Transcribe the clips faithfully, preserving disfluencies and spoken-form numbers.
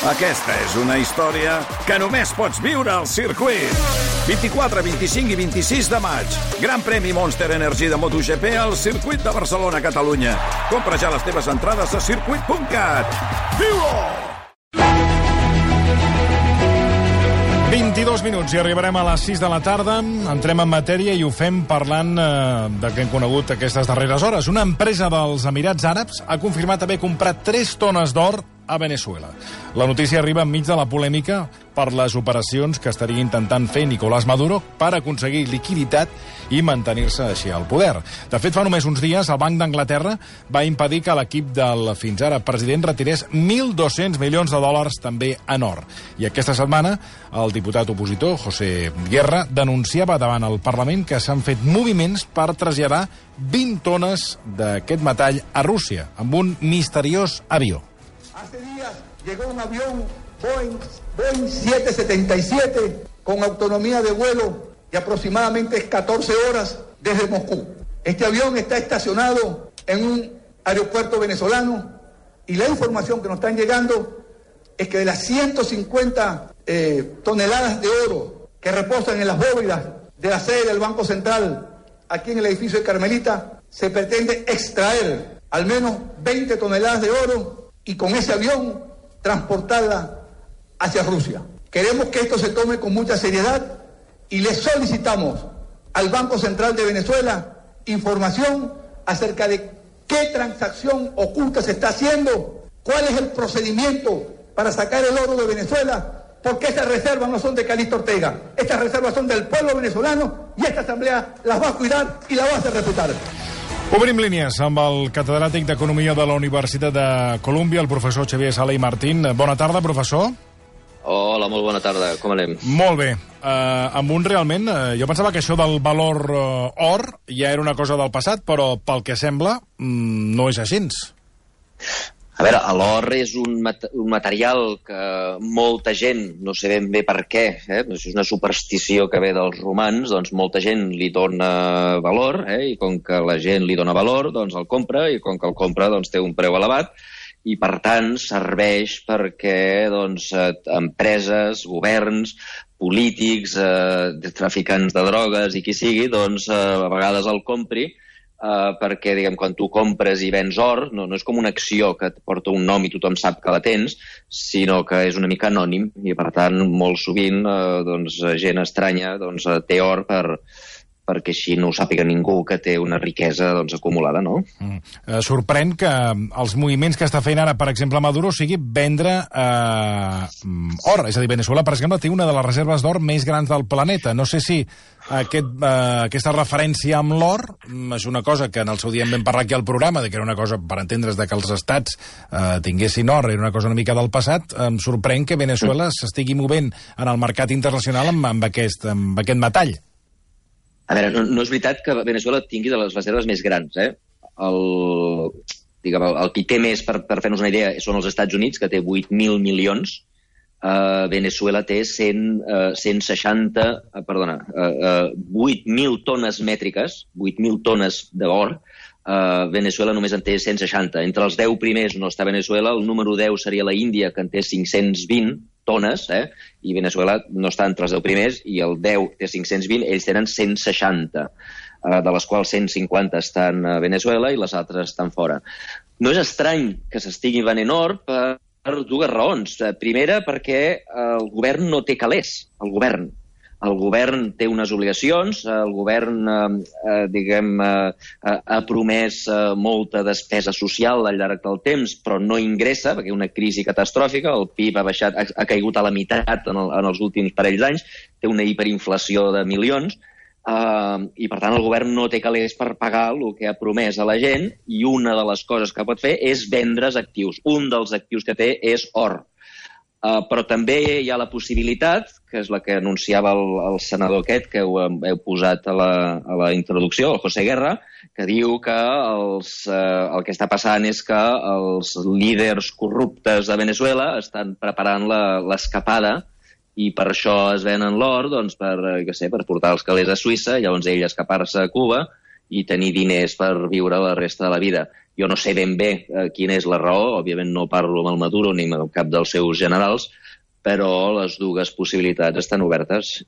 Aquesta és una història que només pots viure al circuit. vint-i-quatre, vint-i-cinc i vint-i-sis de maig. Gran premi Monster Energy de MotoGP al circuit de Barcelona, Catalunya. Compra ja les teves entrades a circuit punt cat. Viu-ho! vint-i-dos minuts i arribarem a les sis de la tarda. Entrem en matèria i ho fem parlant eh, de que hem conegut aquestes darreres hores. Una empresa dels Emirats Àrabs ha confirmat haver comprat tres tones d'or a Venezuela. La notícia arriba enmig de la polèmica per les operacions que estaria intentant fer Nicolás Maduro per aconseguir liquiditat i mantenir-se així al poder. De fet, fa només uns dies, el Banc d'Anglaterra va impedir que l'equip del fins ara president retirés mil dos-cents milions de dòlars també en or. I aquesta setmana, el diputat opositor, José Guerra, denunciava davant el Parlament que s'han fet moviments per traslladar vint tones d'aquest metall a Rússia, amb un misteriós avió. Hace días llegó un avión Boeing, Boeing siete setenta y siete con autonomía de vuelo de aproximadamente catorce horas desde Moscú. Este avión está estacionado en un aeropuerto venezolano y la información que nos están llegando es que de las ciento cincuenta eh, toneladas de oro que reposan en las bóvedas de la sede del Banco Central aquí en el edificio de Carmelita, se pretende extraer al menos veinte toneladas de oro y con ese avión transportarla hacia Rusia. Queremos que esto se tome con mucha seriedad y le solicitamos al Banco Central de Venezuela información acerca de qué transacción oculta se está haciendo, cuál es el procedimiento para sacar el oro de Venezuela, porque estas reservas no son de Calixto Ortega, estas reservas son del pueblo venezolano y esta asamblea las va a cuidar y la va a hacer respetar. Obrim línies amb el catedràtic d'Economia de la Universitat de Colúmbia, el professor Xavier Sala i Martín. Bona tarda, professor. Hola, molt bona tarda. Com anem? Molt bé. Uh, amb un realment... Uh, jo pensava que això del valor uh, or ja era una cosa del passat, però pel que sembla mm, no és així. A veure, l'or és un, mat un material que molta gent, no sé ben bé per què, eh? és una superstició que ve dels romans, doncs molta gent li dona valor, eh? I com que la gent li dona valor, doncs el compra, i com que el compra doncs té un preu elevat, i per tant serveix perquè doncs, empreses, governs, polítics, eh, traficants de drogues i qui sigui, doncs eh, a vegades el compri, Uh, perquè, diguem, quan tu compres i vens or, no, no és com una acció que et porta un nom i tothom sap que la tens, sinó que és una mica anònim i, per tant, molt sovint uh, doncs, gent estranya doncs, té or per, perquè així no ho sàpiga ningú que té una riquesa doncs, acumulada, no? Mm. Eh, sorprèn que els moviments que està fent ara, per exemple, Maduro, sigui vendre eh, or. És a dir, Venezuela, per exemple, té una de les reserves d'or més grans del planeta. No sé si aquest, eh, aquesta referència amb l'or és una cosa que en el seu dia en vam parlar aquí al programa, de que era una cosa, per entendre's, de que els estats eh, tinguessin or, era una cosa una mica del passat. Em sorprèn que Venezuela mm. s'estigui movent en el mercat internacional amb, amb, aquest, amb aquest metall. A veure, no, no és veritat que Venezuela tingui de les reserves més grans, eh? El, diguem, el, el qui té més, per, per fer-nos una idea, són els Estats Units, que té vuit mil milions. Uh, Venezuela té cent, uh, cent seixanta, uh, perdona, uh, uh, vuit mil tones mètriques, vuit mil tones d'or. Uh, Venezuela només en té cent seixanta. Entre els deu primers no està Venezuela, el número deu seria la Índia, que en té cinc-cents vint tones, eh? I Venezuela no està entre els deu primers, i el deu té cinc-cents vint, ells tenen cent seixanta, eh, de les quals cent cinquanta estan a Venezuela i les altres estan fora. No és estrany que s'estigui venent or per, per dues raons. Primera, perquè el govern no té calés, el govern. El govern té unes obligacions, el govern eh, diguem, eh, ha promès eh, molta despesa social al llarg del temps, però no ingressa, perquè hi ha una crisi catastròfica, el P I B ha, baixat, ha, ha caigut a la meitat en, el, en els últims parells d'anys, té una hiperinflació de milions, eh, i per tant el govern no té calés per pagar el que ha promès a la gent, i una de les coses que pot fer és vendre's actius. Un dels actius que té és or. Uh, però també hi ha la possibilitat, que és la que anunciava el, el senador aquest, que heu, heu posat a la, a la introducció, el José Guerra, que diu que els, uh, el que està passant és que els líders corruptes de Venezuela estan preparant l'escapada i per això es venen l'or, doncs, per, què sé, per portar els calés a Suïssa, llavors ell escapar-se a Cuba i tenir diners per viure la resta de la vida. Jo no sé ben bé eh, quina és la raó, òbviament no parlo amb el Maduro ni amb cap dels seus generals, però les dues possibilitats estan obertes.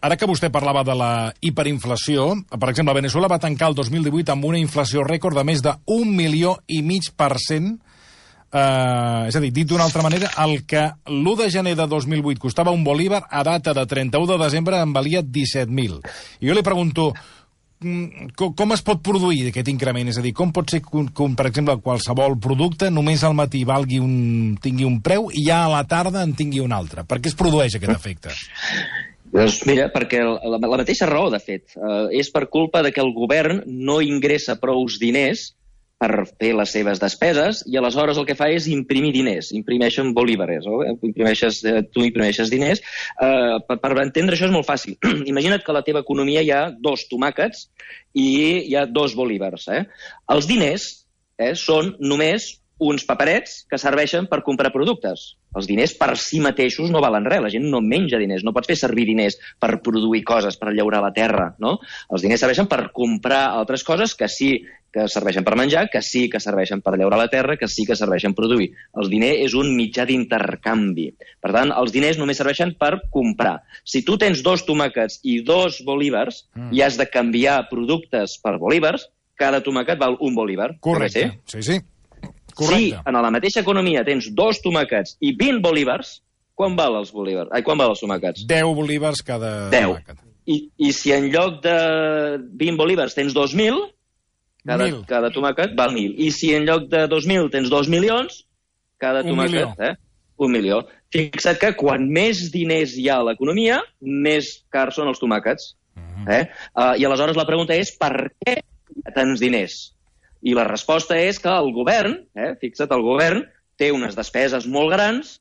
Ara que vostè parlava de la hiperinflació, per exemple, Venezuela va tancar el dos mil divuit amb una inflació rècord de més d'un milió i mig per cent. Uh, és a dir, dit d'una altra manera, el que l'u de gener de dos mil vuit costava un bolívar, a data de trenta-u de desembre en valia disset mil. I jo li pregunto, com, com es pot produir aquest increment? És a dir, com pot ser que, que per exemple, qualsevol producte només al matí valgui un, tingui un preu i ja a la tarda en tingui un altre? Per què es produeix aquest efecte? Doncs mira, perquè la, la mateixa raó, de fet, eh, és per culpa de que el govern no ingressa prous diners per fer les seves despeses, i aleshores el que fa és imprimir diners, imprimeixen bolívares, no? imprimeixes, tu imprimeixes diners. Eh, per, per entendre això és molt fàcil. Imagina't que a la teva economia hi ha dos tomàquets i hi ha dos bolívars. Eh? Els diners eh, són només uns paperets que serveixen per comprar productes. Els diners per si mateixos no valen res, la gent no menja diners, no pots fer servir diners per produir coses, per llaurar la terra, no? Els diners serveixen per comprar altres coses que sí que serveixen per menjar, que sí que serveixen per llaurar la terra, que sí que serveixen per produir. El diner és un mitjà d'intercanvi. Per tant, els diners només serveixen per comprar. Si tu tens dos tomàquets i dos bolívars mm. i has de canviar productes per bolívars, cada tomàquet val un bolívar. Correcte, sí, sí. Correcte. Si en la mateixa economia tens dos tomàquets i vint bolívars, quan val els bolívars? Ai, quan val els tomàquets? deu bolívars cada deu. tomàquet. I, I si en lloc de vint bolívars tens dos mil, cada, cada tomàquet val mil. I si en lloc de dos mil tens dos milions, cada un tomàquet... Milió. Eh? Un milió. Fixa't que quan més diners hi ha a l'economia, més cars són els tomàquets. Uh-huh. eh? uh, I aleshores la pregunta és per què tants diners? I la resposta és que el govern, eh, fixa't, el govern té unes despeses molt grans,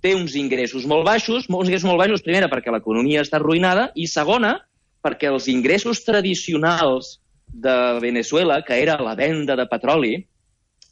té uns ingressos molt baixos, uns ingressos molt baixos, primera, perquè l'economia està arruïnada, i segona, perquè els ingressos tradicionals de Venezuela, que era la venda de petroli,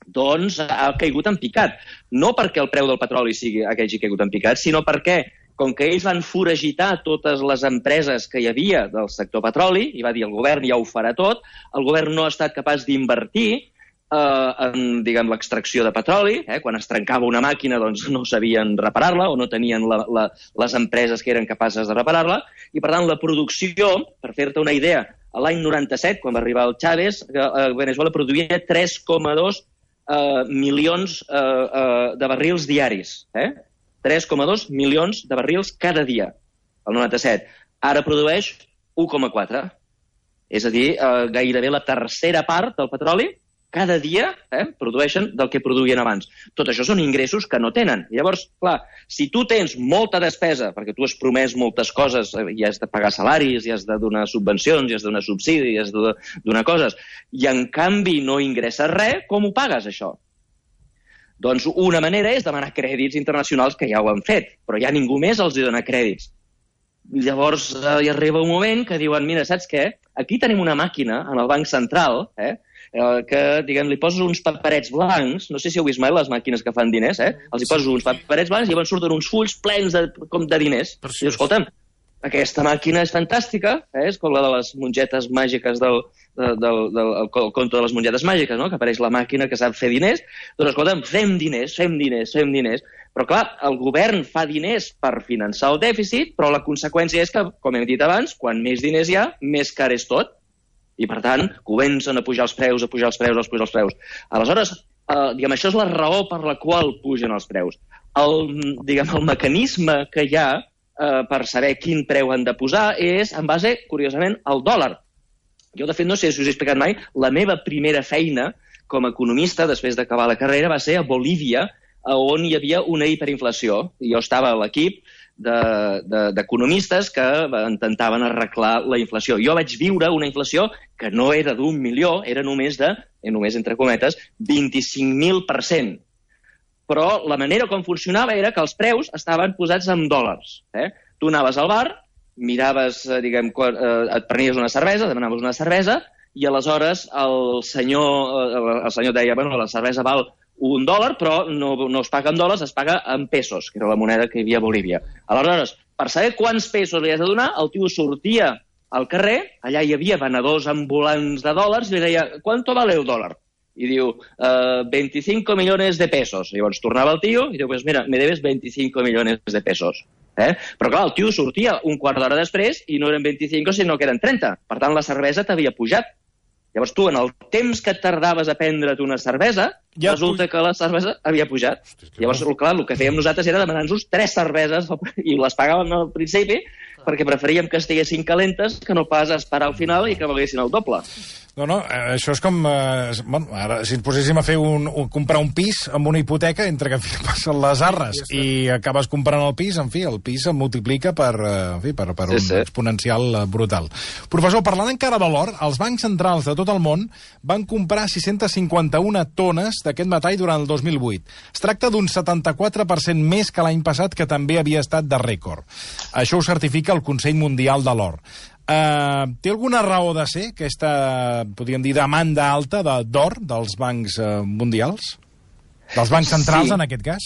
doncs ha caigut en picat. No perquè el preu del petroli sigui aquell que ha caigut en picat, sinó perquè, com que ells van foragitar totes les empreses que hi havia del sector petroli, i va dir el govern ja ho farà tot, el govern no ha estat capaç d'invertir eh, en, diguem, l'extracció de petroli. Eh? Quan es trencava una màquina, doncs no sabien reparar-la o no tenien la, la, les empreses que eren capaces de reparar-la. I, per tant, la producció, per fer-te una idea, a l'any noranta-set, quan va arribar el Chávez, eh, Venezuela produïa tres coma dos eh, milions eh, eh, de barrils diaris. Eh? tres coma dos milions de barrils cada dia, el noranta-set. Ara produeix u coma quatre. És a dir, eh, gairebé la tercera part del petroli cada dia eh, produeixen del que produïen abans. Tot això són ingressos que no tenen. Llavors, clar, si tu tens molta despesa, perquè tu has promès moltes coses, eh, i has de pagar salaris, i has de donar subvencions, i has de donar subsidis, i has de donar coses, i en canvi no ingresses res, com ho pagues, això? Doncs una manera és demanar crèdits internacionals, que ja ho han fet, però ja ningú més els dona crèdits. Llavors eh, hi arriba un moment que diuen, mira, saps què? Aquí tenim una màquina en el Banc Central, eh, eh, que, diguem, li poses uns paperets blancs, no sé si heu vist mai les màquines que fan diners, eh? Els hi poses uns paperets blancs i llavors surten uns fulls plens de, com de diners. I dius, escolta'm, aquesta màquina és fantàstica, eh? És com la de les mongetes màgiques del, del, del, del el conte de les mongetes màgiques, no? Que apareix la màquina que sap fer diners. Doncs, escolta'm, fem diners, fem diners, fem diners. Però, clar, el govern fa diners per finançar el dèficit, però la conseqüència és que, com hem dit abans, quan més diners hi ha, més car és tot. I, per tant, comencen a pujar els preus, a pujar els preus, a pujar els preus. Aleshores, eh, diguem, això és la raó per la qual pugen els preus. El, diguem, el mecanisme que hi ha eh, per saber quin preu han de posar és en base, curiosament, al dòlar. Jo, de fet, no sé si us he explicat mai, la meva primera feina com a economista, després d'acabar la carrera, va ser a Bolívia, on hi havia una hiperinflació. Jo estava a l'equip d'economistes de, de, que intentaven arreglar la inflació. Jo vaig viure una inflació que no era d'un milió, era només de, només entre cometes, vint-i-cinc mil per cent. Però la manera com funcionava era que els preus estaven posats en dòlars. Eh? Tu anaves al bar, miraves, diguem, et prenies una cervesa, demanaves una cervesa, i aleshores el senyor, el senyor deia, bueno, la cervesa val un dòlar, però no, no es paga en dòlars, es paga en pesos, que era la moneda que hi havia a Bolívia. Aleshores, per saber quants pesos li has de donar, el tio sortia al carrer, allà hi havia venedors ambulants de dòlars, i li deia, ¿cuánto vale el dòlar? i diu uh, veinticinco millones de pesos. Llavors tornava el tio i diu, pues mira, me debes veinticinco millones de pesos. Eh? Però clar, el tio sortia un quart d'hora després i no eren veinticinc, sinó que eren trenta. Per tant, la cervesa t'havia pujat. Llavors tu, en el temps que tardaves a prendre't una cervesa, ja resulta que la cervesa havia pujat. Hosti, llavors, clar, el que fèiem nosaltres era demanar-nos tres cerveses i les pagàvem al principi perquè preferíem que estiguessin calentes que no pas esperar al final i que valguessin el doble. No, no, això és com... Eh, bueno, ara, si ens poséssim a fer un, un, comprar un pis amb una hipoteca, entre que en fi, passen les arres i acabes comprant el pis, en fi, el pis es multiplica per, en fi, per, per sí, un sí. exponencial brutal. Professor, parlant encara de l'or, els bancs centrals de tot el món van comprar sis-centes cinquanta-una tones d'aquest metall durant el dos mil vuit. Es tracta d'un setanta-quatre per cent més que l'any passat, que també havia estat de rècord. Això ho certifica el Consell Mundial de l'Or. Uh, té alguna raó de ser aquesta, podríem dir, demanda alta d'or de, dels bancs uh, mundials? Dels bancs centrals, sí. En aquest cas?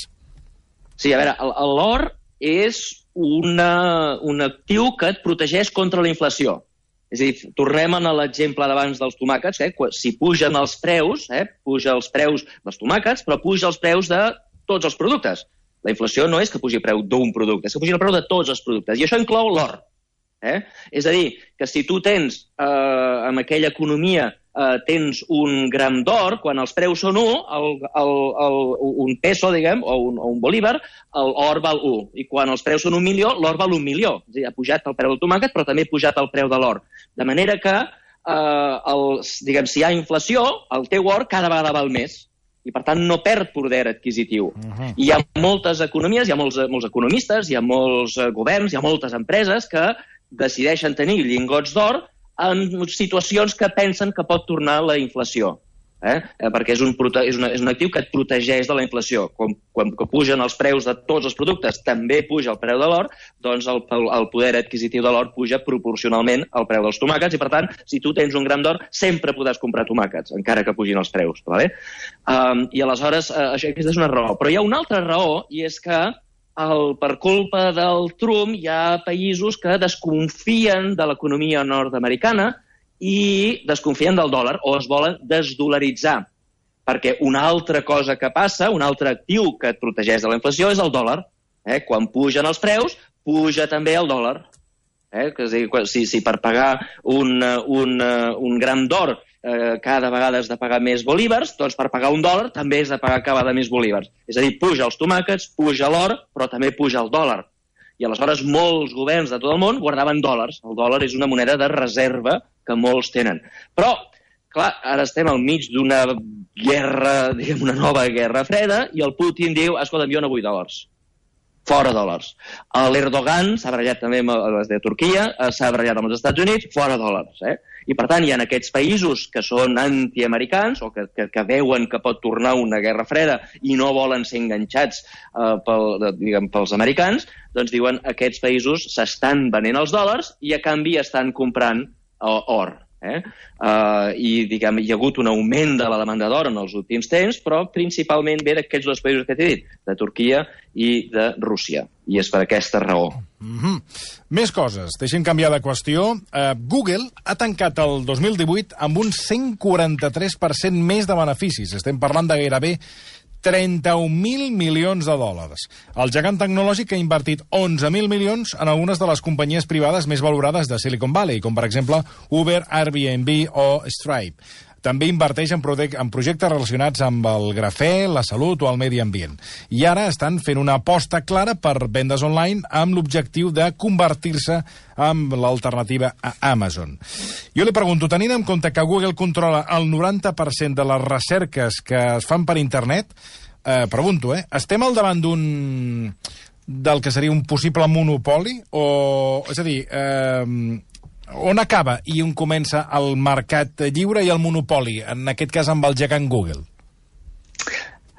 Sí, a veure, l'or és una, un actiu que et protegeix contra la inflació. És a dir, tornem a l'exemple d'abans dels tomàquets, eh? Si pugen els preus, eh? puja els preus dels tomàquets, però puja els preus de tots els productes. La inflació no és que pugi el preu d'un producte, és que pugi el preu de tots els productes, i això inclou l'or. Eh? És a dir, que si tu tens, eh, en aquella economia, eh, tens un gram d'or, quan els preus són un, el, el, el, un peso, diguem, o un, o un bolívar, l'or val un. I quan els preus són un milió, l'or val un milió. És a dir, ha pujat el preu del tomàquet, però també ha pujat el preu de l'or. De manera que, eh, el, diguem, si hi ha inflació, el teu or cada vegada val més. I, per tant, no perd poder adquisitiu. Uh-huh. I hi ha moltes economies, hi ha molts, molts economistes, hi ha molts governs, hi ha moltes empreses que decideixen tenir lingots d'or en situacions que pensen que pot tornar la inflació. Eh? Perquè és un, és, una, és un actiu que et protegeix de la inflació. Quan, quan pugen els preus de tots els productes, també puja el preu de l'or, doncs el, el poder adquisitiu de l'or puja proporcionalment al preu dels tomàquets, i per tant, si tu tens un gram d'or, sempre podràs comprar tomàquets, encara que pugin els preus. Vale? Um, I aleshores, uh, això, aquesta és una raó. Però hi ha una altra raó, i és que el, per culpa del Trump hi ha països que desconfien de l'economia nord-americana i desconfien del dòlar o es volen desdolaritzar. Perquè una altra cosa que passa, un altre actiu que et protegeix de la inflació és el dòlar. Eh? Quan pugen els preus, puja també el dòlar. Eh? És a dir, si, si per pagar un, un, un gram d'or eh, cada vegada has de pagar més bolívars, doncs per pagar un dòlar també has de pagar cada vegada més bolívars. És a dir, puja els tomàquets, puja l'or, però també puja el dòlar. I aleshores molts governs de tot el món guardaven dòlars. El dòlar és una moneda de reserva que molts tenen. Però, clar, ara estem al mig d'una guerra, diguem, una nova guerra freda, i el Putin diu, escolta, jo no vull dòlars. Fora dòlars. L'Erdogan s'ha barallat també amb els de Turquia, s'ha barallat amb els Estats Units, fora dòlars. Eh? I, per tant, hi ha aquests països que són antiamericans o que, que, que veuen que pot tornar una guerra freda i no volen ser enganxats eh, pel, diguem, pels americans, doncs diuen que aquests països s'estan venent els dòlars i, a canvi, estan comprant eh, or. Eh? Uh, i diguem, hi ha hagut un augment de la demanda d'or en els últims temps, però principalment ve d'aquests dos països que t'he dit, de Turquia i de Rússia, i és per aquesta raó. Mm-hmm. Més coses, deixem canviar de qüestió. uh, Google ha tancat el dos mil divuit amb un cent quaranta-tres per cent més de beneficis. Estem parlant de gairebé trenta-un mil milions de dòlars. El gegant tecnològic ha invertit onze mil milions en algunes de les companyies privades més valorades de Silicon Valley, com per exemple Uber, Airbnb o Stripe. També inverteix en, en projectes relacionats amb el grafè, la salut o el medi ambient. I ara estan fent una aposta clara per vendes online amb l'objectiu de convertir-se en l'alternativa a Amazon. Jo li pregunto, tenint en compte que Google controla el noranta per cent de les recerques que es fan per internet, eh, pregunto, eh, estem al davant d'un del que seria un possible monopoli? O, és a dir, eh, on acaba i on comença el mercat lliure i el monopoli, en aquest cas amb el gegant Google?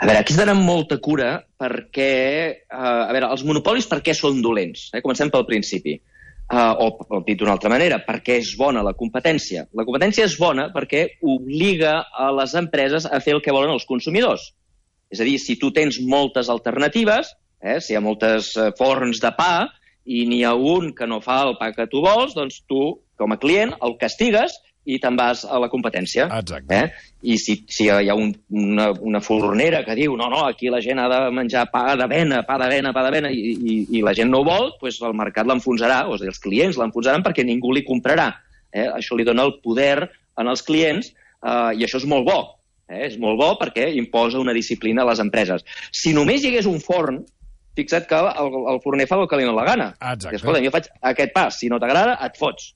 A veure, aquí has d'anar amb molta cura perquè, eh, a veure, els monopolis per què són dolents? Eh? Comencem pel principi. Uh, o, o dit d'una altra manera, perquè és bona la competència. La competència és bona perquè obliga a les empreses a fer el que volen els consumidors. És a dir, si tu tens moltes alternatives, eh, si hi ha moltes uh, forns de pa i n'hi ha un que no fa el pa que tu vols, doncs tu, com a client, el castigues i te'n vas a la competència. Exacte. Eh? I si, si hi ha un, una, una fornera que diu no, no, aquí la gent ha de menjar pa d'avena, pa d'avena, pa d'avena, i, i, i la gent no ho vol, doncs el mercat l'enfonsarà, o sigui, els clients l'enfonsaran perquè ningú li comprarà. Eh? Això li dona el poder en els clients eh, i això és molt bo. Eh? És molt bo perquè imposa una disciplina a les empreses. Si només hi hagués un forn, fixa't que el, el forner fa el que li dona la gana. Exacte. Escolta, jo faig aquest pa, si no t'agrada, et fots.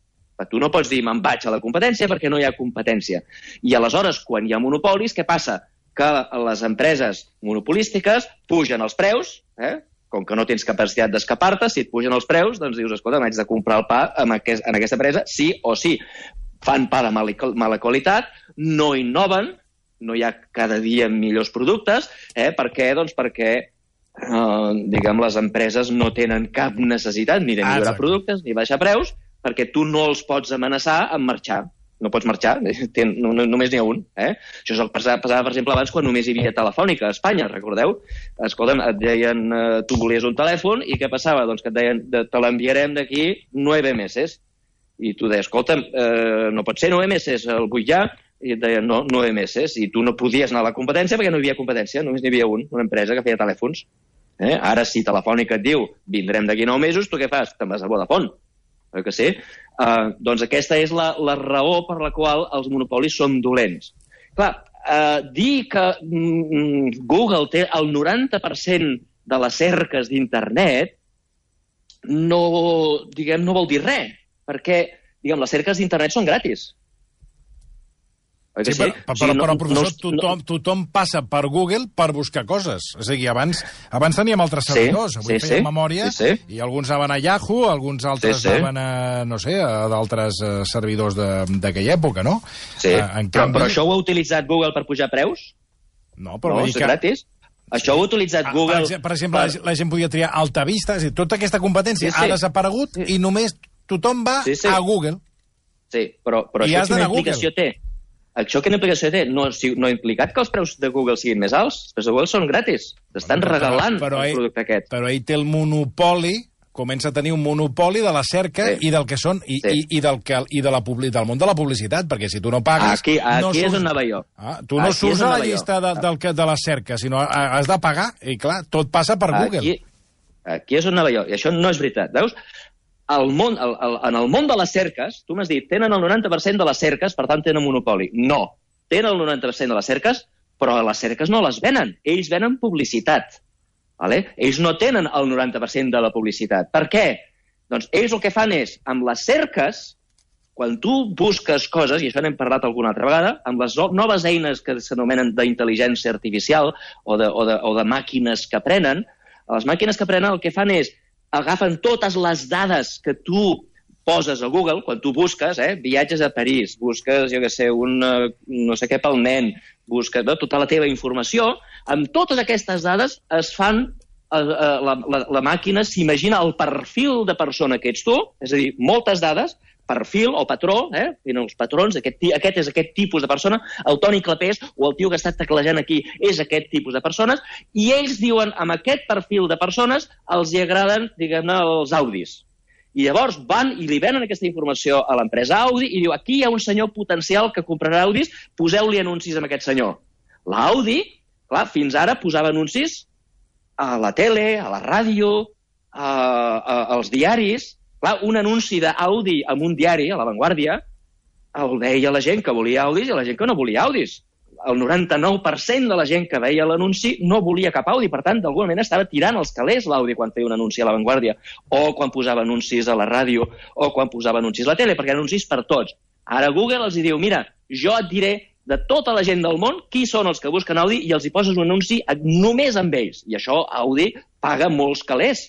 Tu no pots dir me'n vaig a la competència perquè no hi ha competència. I aleshores, quan hi ha monopolis, què passa? Que les empreses monopolístiques pugen els preus, eh? Com que no tens capacitat d'escapar-te, si et pugen els preus, doncs dius, escolta, m'haig de comprar el pa en, aquest, en aquesta empresa, sí o sí. Fan pa de mala, mala qualitat, no innoven, no hi ha cada dia millors productes. Eh? Per què? Doncs perquè Uh, diguem, les empreses no tenen cap necessitat ni de millorar ah, productes ni baixar preus, perquè tu no els pots amenaçar amb marxar. No pots marxar, ten, no, no, només n'hi ha un. Eh? Això és el que passava, per exemple, abans quan només hi havia Telefònica a Espanya, recordeu? Escolta'm, et deien, uh, tu volies un telèfon i què passava? Doncs que et deien, te l'enviarem d'aquí nueve meses. I tu deies, escolta'm, uh, no pot ser nueve meses, el vull ja, i et deien, no, nueve meses, i tu no podies anar a la competència perquè no hi havia competència, només n'hi havia un, una empresa que feia telèfons. Eh? Ara, si Telefònica et diu vindrem d'aquí nou mesos, tu què fas? Te'n vas a Vodafone. Oi que sí? Uh, doncs aquesta és la, la raó per la qual els monopolis són dolents. Clar, uh, dir que mm, Google té el noranta per cent de les cerques d'internet no, diguem, no vol dir res, perquè diguem, les cerques d'internet són gratis. Sí, sí? Però, però, però, professor, tothom, tothom passa per Google per buscar coses. És a dir, abans, abans teníem altres servidors. Sí, Avui sí, feien sí, memòria sí, sí. I alguns anaven a Yahoo, alguns altres sí, sí. anaven a, no sé, a d'altres uh, servidors d'aquella època, no? Sí, uh, en però, canvi... però això ho ha utilitzat Google per pujar preus? No, però no, és que... gratis. Això ho ha utilitzat ah, Google... Per, per exemple, per... la gent podia triar Altavista, és a dir, tota aquesta competència sí, sí. ha desaparegut sí. I només tothom va sí, sí. a Google. Sí, però, però això quina implicació té? Això quina implicació té? No, si, no ha implicat que els preus de Google siguin més alts. Els preus de Google són gratis. T'estan bueno, regalant però, però el producte aquest. Però ell té el monopoli, comença a tenir un monopoli de la cerca sí. I del que són i, sí. i, i, del, que, i de la, del món de la publicitat, perquè si tu no pagues... Aquí, aquí no és surts, on anava jo. Ah, tu no aquí surts a la llista de, del que, de la cerca, sinó has de pagar, i clar, tot passa per aquí, Google. Aquí és on anava jo, i això no és veritat. Veus? El món, el, el, en el món de les cerques, tu m'has dit, tenen el noranta per cent de les cerques, per tant tenen monopoli. No. Tenen el noranta per cent de les cerques, però les cerques no les venen. Ells venen publicitat. Vale? Ells no tenen el noranta per cent de la publicitat. Per què? Doncs ells el que fan és, amb les cerques, quan tu busques coses, i això n'hem parlat alguna altra vegada, amb les noves eines que s'anomenen d'intel·ligència artificial o de, o, de, o de màquines que aprenen, les màquines que aprenen el que fan és agafen totes les dades que tu poses a Google, quan tu busques, eh, viatges a París, busques, jo què sé, un no sé què pel nen, busques no, tota la teva informació, amb totes aquestes dades es fan, eh, la, la, la màquina s'imagina el perfil de persona que ets tu, és a dir, moltes dades, perfil o patró, eh, tenen els patrons, aquest, aquest és aquest tipus de persona, el Toni Clapés o el tio que està teclejant aquí és aquest tipus de persones, i ells diuen, amb aquest perfil de persones, els hi agraden, diguem-ne, els Audis. I llavors van i li venen aquesta informació a l'empresa Audi i diu, aquí hi ha un senyor potencial que comprarà Audis, poseu-li anuncis a aquest senyor. L'Audi, clar, fins ara posava anuncis a la tele, a la ràdio, a, a, als diaris. Clar, un anunci d'Audi en un diari, a La Vanguardia, el veia la gent que volia Audis i la gent que no volia Audis. El noranta-nou per cent de la gent que veia l'anunci no volia cap Audi, per tant, d'alguna manera estava tirant els calés l'Audi quan feia un anunci a La Vanguardia, o quan posava anuncis a la ràdio, o quan posava anuncis a la tele, perquè anuncis per tots. Ara Google els diu, mira, jo et diré de tota la gent del món qui són els que busquen Audi i els hi poses un anunci només amb ells. I això Audi paga molts calés.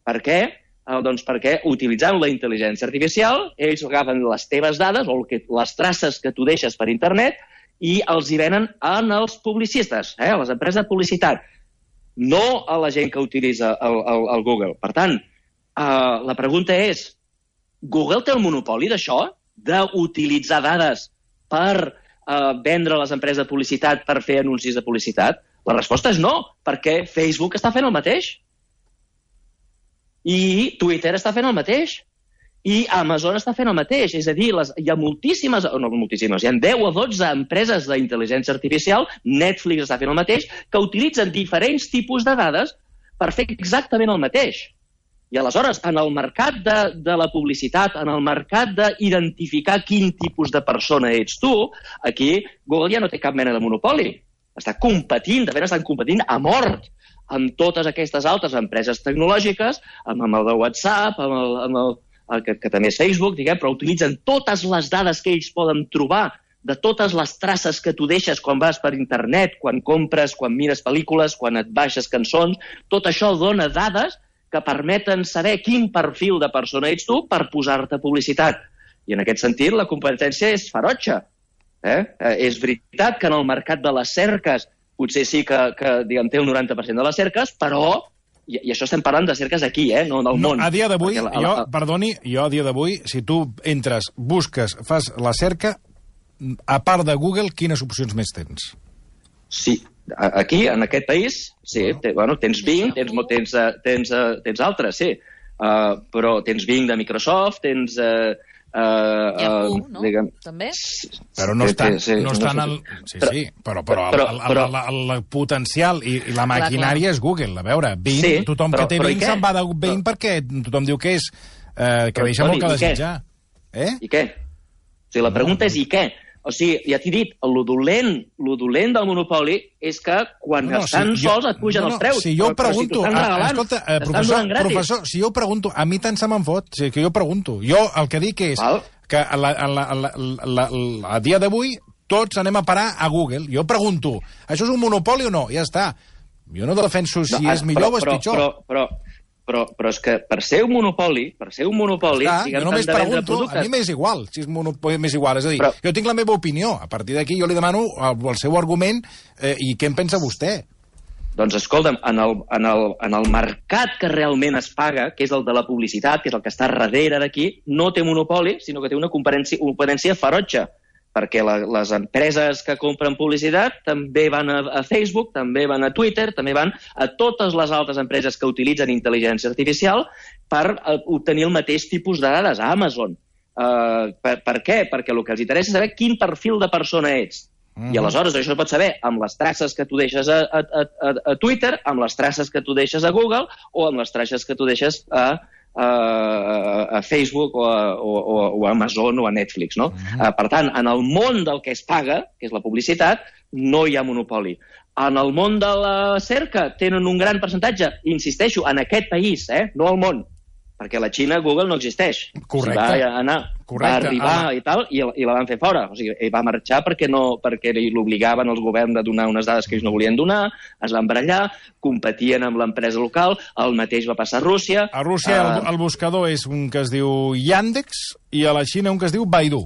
Per què? Doncs perquè utilitzant la intel·ligència artificial, ells agafen les teves dades o les traces que tu deixes per internet i els hi venen en els publicistes, eh, a les empreses de publicitat, no a la gent que utilitza el, el, el Google. Per tant, eh, la pregunta és, Google té el monopoli d'això, d'utilitzar dades per eh, vendre a les empreses de publicitat per fer anuncis de publicitat? La resposta és no, perquè Facebook està fent el mateix. I Twitter està fent el mateix. I Amazon està fent el mateix, és a dir, les, hi ha moltíssimes, no moltíssimes, hi ha deu o dotze empreses d'intel·ligència artificial, Netflix està fent el mateix, que utilitzen diferents tipus de dades per fer exactament el mateix. I aleshores, en el mercat de, de la publicitat, en el mercat d'identificar quin tipus de persona ets tu, aquí Google ja no té cap mena de monopoli. Està competint, de fet estan competint a mort amb totes aquestes altres empreses tecnològiques, amb, amb el de WhatsApp, amb el... Amb el Que, que també és Facebook, diguem, però utilitzen totes les dades que ells poden trobar, de totes les traces que tu deixes quan vas per internet, quan compres, quan mires pel·lícules, quan et baixes cançons, tot això dona dades que permeten saber quin perfil de persona ets tu per posar-te publicitat. I en aquest sentit la competència és ferotge. Eh? Eh, és veritat que en el mercat de les cerques potser sí que, que diguem, té un noranta per cent de les cerques, però... I, I això estem parlant de cerques aquí, eh? No del món. No, a dia d'avui, la, la, jo, perdoni, jo a dia d'avui, si tu entres, busques, fas la cerca, a part de Google, quines opcions més tens? Sí, aquí, en aquest país, sí, te, bueno, tens Bing, tens, tens, tens, tens altres, sí, uh, però tens Bing de Microsoft, tens... Uh, Uh, Yahoo, uh, no? Diguem... També? Però no estan, sí, sí, no estan no al... Sí, sí, però, però, però, el, el, però... el, el, el potencial i, i la maquinària és Google. A veure, Bing, sí, tothom però, que té però Bing se'n va de Bing però... perquè tothom diu que és... Eh, que però, deixa molt Toni, que desitjar. Eh? I què? O sigui, la pregunta és i què? O sigui, ja t'he dit, el dolent, el dolent del monopoli és que quan no, no, estan si sols jo, et pugen no, no, els preus. Si jo ho pregunto, però, però si a, escolta, eh, professor, professor, si jo ho pregunto, a mi tant se me'n fot, o sigui, que jo pregunto. Jo el que dic és Val. que a, la, a, la, a, la, a, la, a dia d'avui tots anem a parar a Google. Jo pregunto, això és un monopoli o no? Ja està. Jo no defenso si no, és millor però, o és pitjor. Però, però, però, però és que per ser un monopoli, per ser un monopoli... Està, jo només pregunto, a mi m'és igual, si és monopoli m'és igual. És a dir, però... jo tinc la meva opinió, a partir d'aquí jo li demano el, el seu argument eh, i què en pensa vostè. Doncs escolta'm, en el, en, el, en el mercat que realment es paga, que és el de la publicitat, que és el que està darrere d'aquí, no té monopoli, sinó que té una competència, competència ferotge, perquè la, les empreses que compren publicitat també van a, a Facebook, també van a Twitter, també van a totes les altres empreses que utilitzen intel·ligència artificial per uh, obtenir el mateix tipus de dades, a Amazon. Uh, per, per què? Perquè el que els interessa és saber quin perfil de persona ets. Mm-hmm. I aleshores això es pot saber amb les traces que tu deixes a, a, a, a Twitter, amb les traces que tu deixes a Google o amb les traces que tu deixes a a Facebook o a, o, o a Amazon o a Netflix, no? Uh-huh. Uh, per tant, en el món del que es paga, que és la publicitat, no hi ha monopoli. En el món de la cerca tenen un gran percentatge, insisteixo, en aquest país, eh? No al món, perquè la Xina, Google no existeix. Correcte. O sigui, va anar, Correcte. va arribar ah. i tal, i, i la van fer fora. O sigui, va marxar perquè no, perquè l'obligaven els governs a donar unes dades que ells no volien donar, es van barallar, competien amb l'empresa local, el mateix va passar a Rússia. A Rússia uh, el, el buscador és un que es diu Yandex i a la Xina un que es diu Baidu.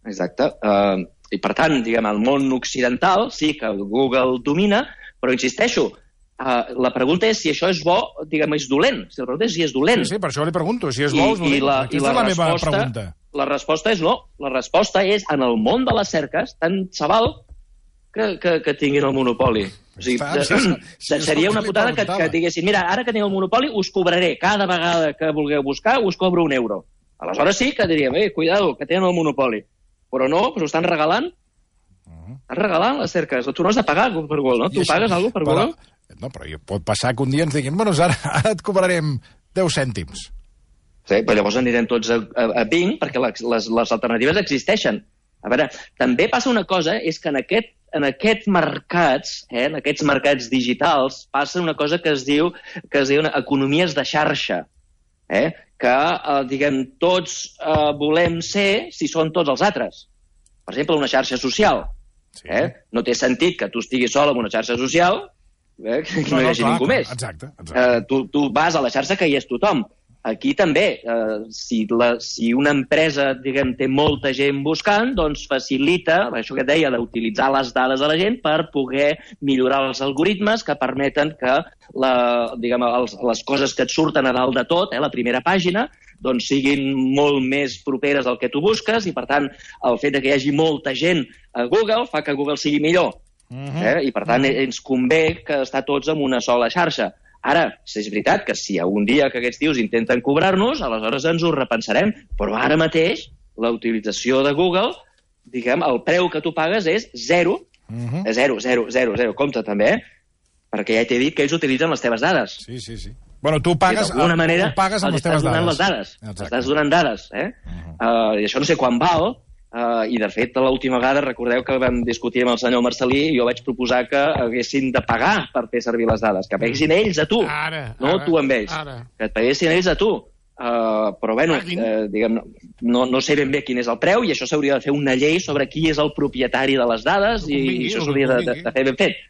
Exacte. Uh, I per tant, diguem, el món occidental sí que Google domina, però insisteixo, Uh, la pregunta és si això és bo, diguem, és dolent. Si la pregunta és si és dolent. Sí, sí, per això li pregunto, si és bo o és dolent. I la, Aquesta i la és la resposta, meva pregunta. La resposta és no. La resposta és, en el món de les cerques, tant se val que, que, que tinguin el monopoli. O sigui, Està, sí, sí, seria una putada que, que diguessin, mira, ara que teniu el monopoli us cobraré, cada vegada que vulgueu buscar us cobro un euro. Aleshores sí que diríem, eh, cuidado, que tenen el monopoli. Però no, doncs ho estan regalant. Uh-huh. Estan regalant les cerques. Tu no has de pagar per Google, no? Tu pagues alguna cosa per Google? Però... No, però pot passar que un dia ens diguin bueno, ara, ara et cobrarem deu cèntims. Sí, però llavors anirem tots a, a, a Bing perquè les, les, les alternatives existeixen. A veure, també passa una cosa, és que en, aquest, en aquests mercats, eh, en aquests mercats digitals, passa una cosa que es diu, que es diu economies de xarxa, eh, que, eh, diguem, tots eh, volem ser si són tots els altres. Per exemple, una xarxa social. Sí. Eh? No té sentit que tu estiguis sol en una xarxa social Eh, que no, no hi hagi no, ningú clar, més. Exacte, exacte. Uh, tu, tu vas a la xarxa que hi és tothom. Aquí també, uh, si, la, si una empresa, diguem, té molta gent buscant, doncs facilita, això que et deia, d'utilitzar les dades de la gent per poder millorar els algoritmes que permeten que la, diguem, els, les coses que et surten a dalt de tot, eh, la primera pàgina, doncs siguin molt més properes al que tu busques i, per tant, el fet de que hi hagi molta gent a Google fa que Google sigui millor. Uh-huh. eh? I per tant ens convé que estar tots en una sola xarxa. Ara, és veritat que si algun dia que aquests tios intenten cobrar-nos, aleshores ens ho repensarem, però ara mateix la utilització de Google, diguem, el preu que tu pagues és zero, uh-huh. és zero, zero, zero, zero, compte també, eh? Perquè ja t'he dit que ells utilitzen les teves dades. Sí, sí, sí. Bueno, tu pagues, d'alguna manera, tu pagues amb les teves dades. Les dades. Estàs donant dades, eh? Uh-huh. uh, I això no sé quan val, Uh, i de fet l'última vegada recordeu que vam discutir amb el senyor Marcelí i jo vaig proposar que haguessin de pagar per fer servir les dades, que paguessin ells a tu, ara, no ara, tu amb ells, ara. que et paguessin ells a tu. Uh, però bueno, uh, diguem, no, no sé ben bé quin és el preu i això s'hauria de fer una llei sobre qui és el propietari de les dades i, i això s'hauria de, de, de fer ben fet.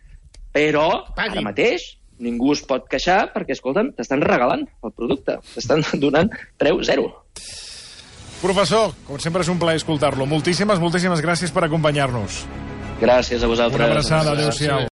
Però ara mateix ningú es pot queixar perquè, escolta'm, t'estan regalant el producte, t'estan donant preu zero. Professor, com sempre és un plaer escoltar-lo. Moltíssimes, moltíssimes gràcies per acompanyar-nos. Gràcies a vosaltres. Una abraçada, adéu-siau.